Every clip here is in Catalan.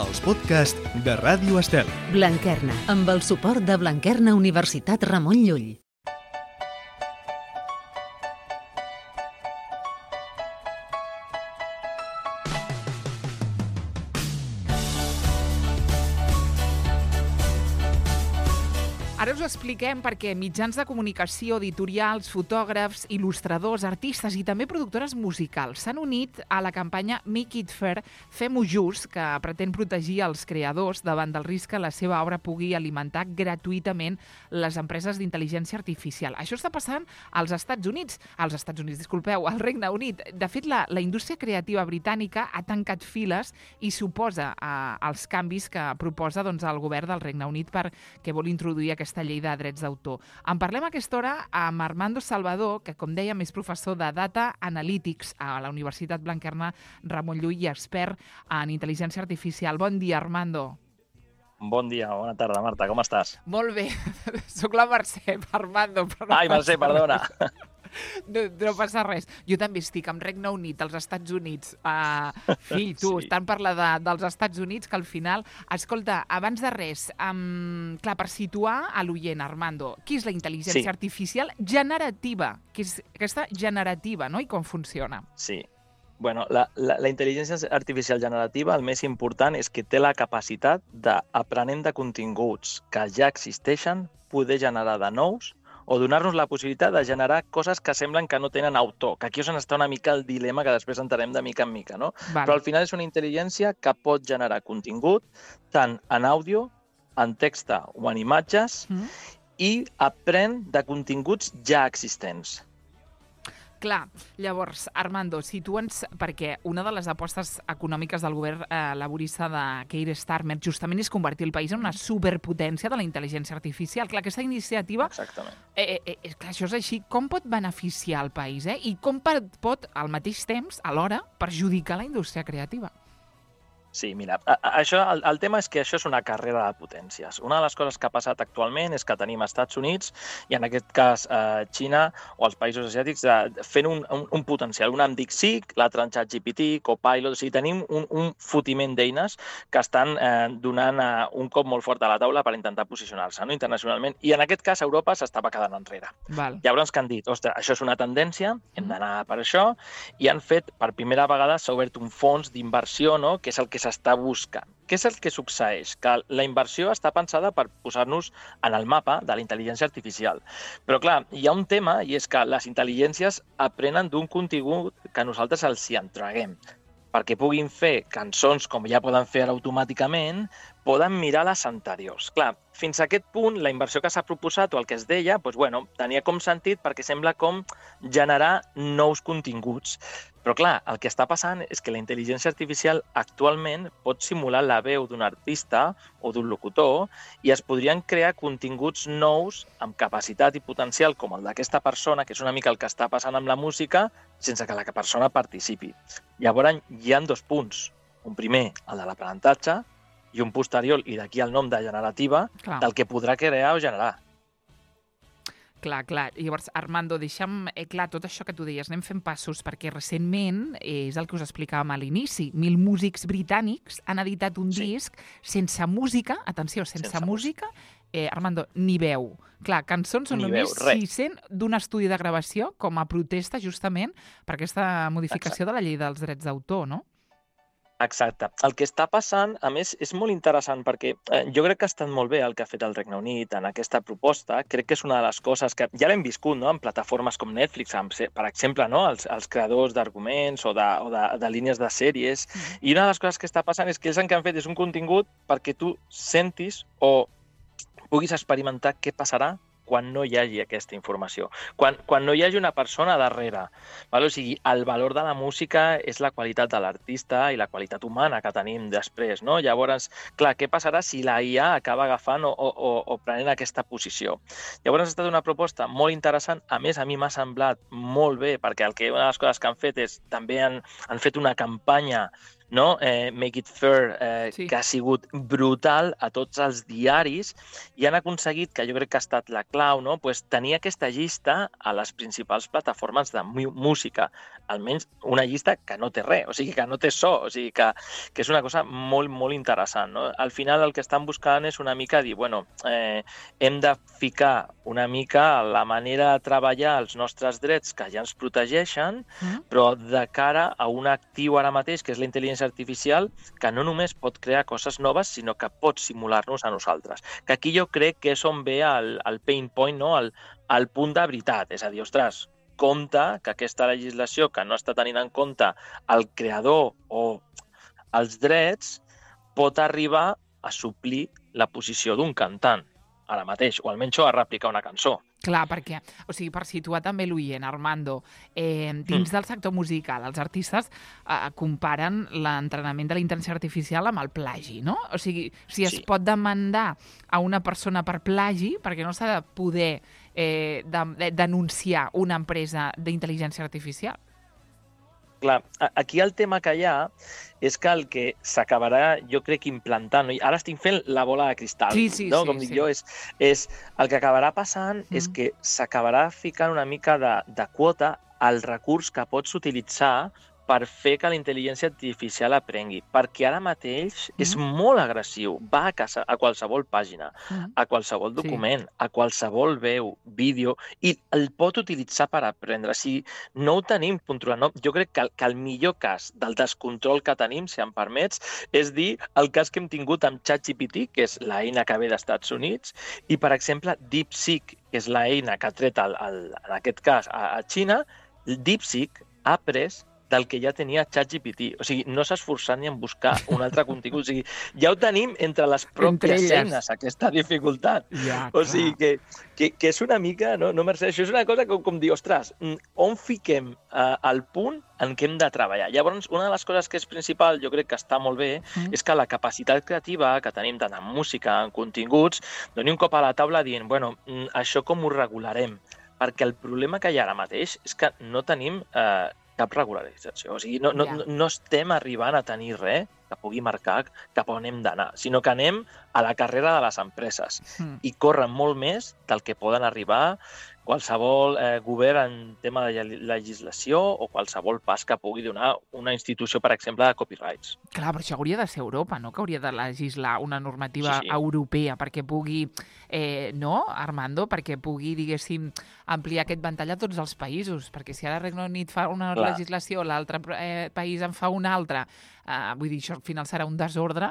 els podcasts de Ràdio Estel. Blanquerna, amb el suport de Blanquerna Universitat Ramon Llull. Ara us expliquem perquè mitjans de comunicació, editorials, fotògrafs, il·lustradors, artistes i també productores musicals s'han unit a la campanya Make It Fair, Fem-ho Just, que pretén protegir els creadors davant del risc que la seva obra pugui alimentar gratuïtament les empreses d'intel·ligència artificial. Això està passant al Regne Unit. De fet, la indústria creativa britànica ha tancat files i s'oposa als canvis que proposa el govern del Regne Unit perquè vol introduir aquesta llei de drets d'autor. En parlem a aquesta hora amb Armando Salvador, que, com dèiem, és professor de Data Analytics a la Universitat Blanquerna Ramon Llull i expert en intel·ligència artificial. Bon dia, Armando. Bon dia, bona tarda, Marta, com estàs? Molt bé. Soc la Mercè, Armando. Ai, Mercè, perdona. No passa res. Jo també estic amb Regne Unit, als Estats Units. Fill, tu, sí. Tant parlar dels Estats Units que al final... Escolta, abans de res, clar, per situar a l'oient, Armando, què és la intel·ligència artificial generativa? Què és aquesta generativa, no? I com funciona? Sí. Bueno, la intel·ligència artificial generativa, el més important és que té la capacitat d'aprenent de continguts que ja existeixen, poder generar de nous o donar-nos la possibilitat de generar coses que semblen que no tenen autor, que aquí és on està una mica el dilema que després entenem de mica en mica, no? Vale. Però al final és una intel·ligència que pot generar contingut tant en àudio, en text o en imatges i aprèn de continguts ja existents. Clar, llavors, Armando, situa'ns, perquè una de les apostes econòmiques del govern laborista de Keir Starmer justament és convertir el país en una superpotència de la intel·ligència artificial. Clar, aquesta iniciativa... Exactament. Clar, això és així. Com pot beneficiar el país, I com pot, al mateix temps, alhora, perjudicar la indústria creativa? Sí, mira, el tema és que això és una carrera de potències. Una de les coses que ha passat actualment és que tenim Estats Units i en aquest cas Xina o els països asiàtics fent un potencial. Una amb DeepSeek, l'altra en ChatGPT, Copilot, o sigui, tenim un fotiment d'eines que estan donant un cop molt fort a la taula per intentar posicionar-se internacionalment i en aquest cas Europa s'estava quedant enrere. Val. Llavors que han dit, ostres, això és una tendència, hem d'anar per això, i han fet, per primera vegada s'ha obert un fons d'inversió, no?, que és el que s'està buscant. Què és el que succeeix? Que la inversió està pensada per posar-nos en el mapa de la intel·ligència artificial. Però, clar, hi ha un tema, i és que les intel·ligències aprenen d'un contingut que nosaltres els hi entreguem. Perquè puguin fer cançons com ja poden fer automàticament, poden mirar les anteriors. Clar, fins a aquest punt, la inversió que s'ha proposat o el que es deia, tenia com sentit perquè sembla com generar nous continguts. Però clar, el que està passant és que la intel·ligència artificial actualment pot simular la veu d'un artista o d'un locutor i es podrien crear continguts nous amb capacitat i potencial com el d'aquesta persona, que és una mica el que està passant amb la música, sense que la persona participi. Llavors, hi ha dos punts. Un primer, el de l'aprenentatge, i un posterior, i d'aquí el nom de generativa, del que podrà crear o generar. Clar. Llavors, Armando, deixa'm clar tot això que tu deies. Anem fent passos, perquè recentment, és el que us explicàvem a l'inici, 1.000 músics britànics han editat un disc sense música, atenció, sense música, Armando, ni veu. Clar, cançons són només 600 d'un estudi de gravació com a protesta justament per aquesta modificació de la llei dels drets d'autor, no? Exacte. El que està passant, a més, és molt interessant perquè jo crec que ha estat molt bé el que ha fet el Regne Unit en aquesta proposta. Crec que és una de les coses que ja l'hem viscut, no?, en plataformes com Netflix, per exemple, no?, els creadors d'arguments o de línies de sèries. I una de les coses que està passant és que ells el que han fet és un contingut perquè tu sentis o puguis experimentar què passarà quan no hi hagi aquesta informació, quan no hi hagi una persona darrere. O sigui, el valor de la música és la qualitat de l'artista i la qualitat humana que tenim després, no? Llavors, clar, què passarà si la IA acaba agafant o prenent aquesta posició? Llavors ha estat una proposta molt interessant, a més a mi m'ha semblat molt bé, perquè una de les coses que han fet és també han fet una campanya no? Make It Fair, Sí. que ha sigut brutal a tots els diaris, i han aconseguit, que jo crec que ha estat la clau, no? Pues, tenir aquesta llista a les principals plataformes de música, almenys una llista que no té res, o sigui, que no té so, o sigui, que és una cosa molt, molt interessant, no? Al final el que estan buscant és una mica dir, bueno, hem de ficar una mica la manera de treballar els nostres drets que ja ens protegeixen, però de cara a un actiu ara mateix, que és la intel·ligència artificial, que no només pot crear coses noves, sinó que pot simular-nos a nosaltres. Que aquí jo crec que és on ve el pain point, no? El punt de veritat. És a dir, ostres, compte que aquesta legislació que no està tenint en compte el creador o els drets pot arribar a suplir la posició d'un cantant ara mateix, o almenys a replicar una cançó. Clar, perquè, o sigui, per situar també l'oient, Armando, dins del sector musical, els artistes comparen l'entrenament de la intel·ligència artificial amb el plagi, no? O sigui, si es pot demandar a una persona per plagi, perquè no s'ha de poder denunciar una empresa d'intel·ligència artificial? Clar, aquí el tema que hi ha és que el que s'acabarà, jo crec, implantant, no? Ara estic fent la bola de cristal, no? Com dic jo, és el que acabarà passant és que s'acabarà ficant una mica de quota al recurs que pots utilitzar per fer que la intel·ligència artificial aprengui, perquè ara mateix és molt agressiu, va a qualsevol pàgina, a qualsevol document, a qualsevol veu, vídeo, i el pot utilitzar per aprendre. Si no ho tenim controlat, no? Jo crec que el millor cas del descontrol que tenim, si em permets, és dir el cas que hem tingut amb ChatGPT, que és l'eina que ve dels Estats Units, i, per exemple, DeepSeek, que és l'eina que ha tret, en aquest cas, a Xina. DeepSeek ha après del que ja tenia ChatGPT. O sigui, no s'ha esforçat ni en buscar un altre contingut. O sigui, ja ho tenim entre les pròpies eines, aquesta dificultat. O sigui, que és una mica, no, Mercè? Això és una cosa com dir, ostres, on fiquem el punt en què hem de treballar? Llavors, una de les coses que és principal, jo crec que està molt bé, és que la capacitat creativa que tenim tant en música, en continguts, doni un cop a la taula dient, bueno, això com ho regularem? Perquè el problema que hi ha ara mateix és que no tenim cap regularització. O sigui, no estem arribant a tenir res que pugui marcar cap on hem d'anar, sinó que anem a la carrera de les empreses i corren molt més del que poden arribar qualsevol govern en tema de legislació o qualsevol pas que pugui donar una institució, per exemple, de copyrights. Clar, però això hauria de ser Europa, no? Que hauria de legislar una normativa europea perquè pugui, no, Armando? Perquè pugui, diguéssim, ampliar aquest ventall a tots els països. Perquè si ara el Regne Unit fa una legislació, l'altre país en fa una altra, vull dir, això al final serà un desordre.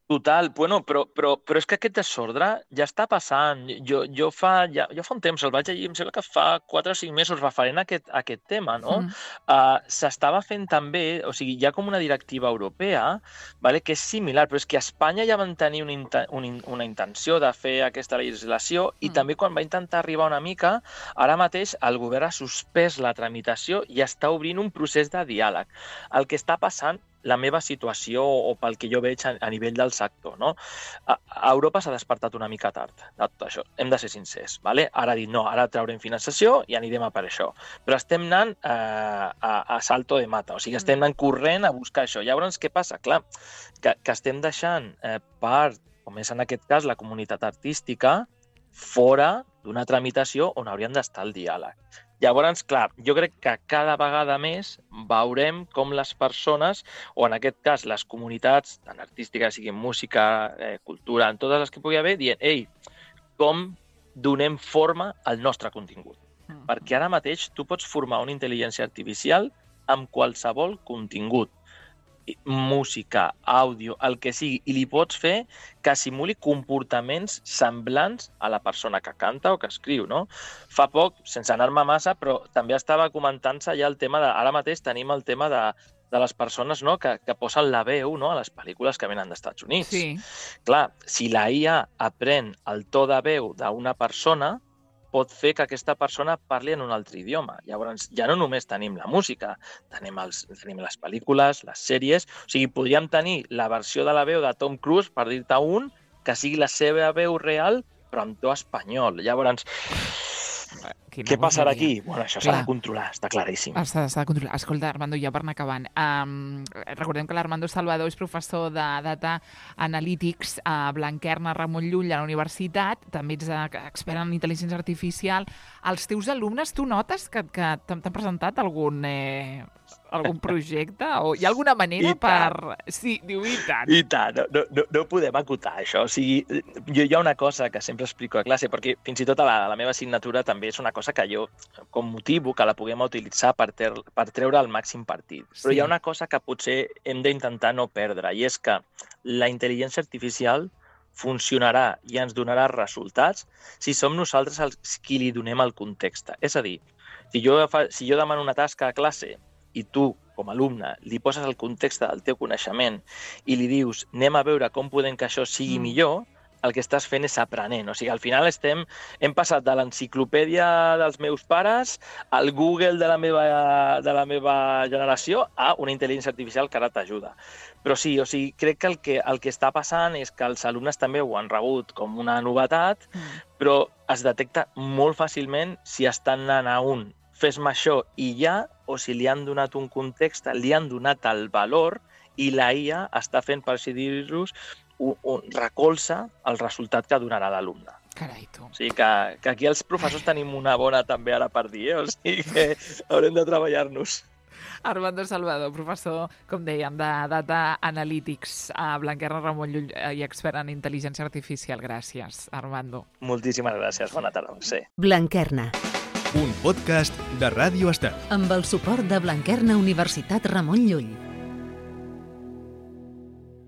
Total, bueno, però és que aquest desordre ja està passant. Jo fa un temps el vaig llegir, em sembla que fa 4 o 5 mesos referent a aquest tema, no? S'estava fent també, o sigui, hi ha com una directiva europea, que és similar, però és que a Espanya ja van tenir una intenció de fer aquesta legislació i també quan va intentar arribar una mica, ara mateix el govern ha suspès la tramitació i està obrint un procés de diàleg. El que està passant, la meva situació o pel que jo veig a nivell del sector, no? A Europa s'ha despertat una mica tard de tot això, hem de ser sincers, ¿vale? Ara ha dit, no, ara traurem finançació i anirem a per això. Però estem anant a salto de mata, o sigui, estem anant corrent a buscar això. Llavors, què passa? Clar, que estem deixant part, com és en aquest cas la comunitat artística, fora d'una tramitació on haurien d'estar el diàleg. Llavors, clar, jo crec que cada vegada més veurem com les persones, o en aquest cas les comunitats, tant artístiques, siguin música, cultura, en totes les que pugui haver, dient, ei, com donem forma al nostre contingut? Perquè ara mateix tu pots formar una intel·ligència artificial amb qualsevol contingut. Música, àudio, el que sigui, i li pots fer que simuli comportaments semblants a la persona que canta o que escriu, no? Fa poc, sense anar-me massa, però també estava comentant-se ja el tema de... Ara mateix tenim el tema de les persones, no?, que posen la veu, no?, a les pel·lícules que venen dels Estats Units. Sí. Clar, si la IA aprèn el to de veu d'una persona, pot fer que aquesta persona parli en un altre idioma. Llavors, ja no només tenim la música, tenim les pel·lícules, les sèries... O sigui, podríem tenir la versió de la veu de Tom Cruise, per dir-te un, que sigui la seva veu real, però amb to espanyol. Llavors, Què passarà aquí? Bueno, això s'ha de controlar, està claríssim. S'ha de controlar. Escolta, Armando, ja per anar acabant. Recordem que l'Armando Salvador és professor de Data Analytics a Blanquerna Ramon Llull a la universitat, també ets expert en intel·ligència artificial. Els teus alumnes, tu notes que t'han presentat algun projecte? O hi ha alguna manera per... Sí, diu, i tant. I tant, no podem acotar això. O sigui, hi ha una cosa que sempre explico a classe, perquè fins i tot a la meva assignatura també és una cosa que jo com motivo que la puguem utilitzar per treure el màxim partit. Però hi ha una cosa que potser hem d'intentar no perdre, i és que la intel·ligència artificial funcionarà i ens donarà resultats si som nosaltres els qui li donem el context. És a dir, si jo demano una tasca a classe i tu, com a alumne, li poses el context del teu coneixement i li dius anem a veure com podem que això sigui millor, el que estàs fent és aprenent. O sigui, al final hem passat de l'enciclopèdia dels meus pares al Google de la meva generació a una intel·ligència artificial que ara t'ajuda. Però sí, o sigui, crec que el que està passant és que els alumnes també ho han rebut com una novetat, però es detecta molt fàcilment si estan anant a fes-me això i ja, o si li han donat un context, li han donat el valor i la IA està fent, per així dir-los, recolza el resultat que donarà l'alumne. Carai, tu. O sigui que aquí els professors tenim una bona també ara per dir, o sigui que haurem de treballar-nos. Armando Salvador, professor, com dèiem, de Data Analytics a Blanquerna Ramon Llull i expert en intel·ligència artificial. Gràcies, Armando. Moltíssimes gràcies. Bona tarda, Mercè. Blanquerna. Un podcast de Ràdio Estel. Amb el suport de Blanquerna Universitat Ramon Llull.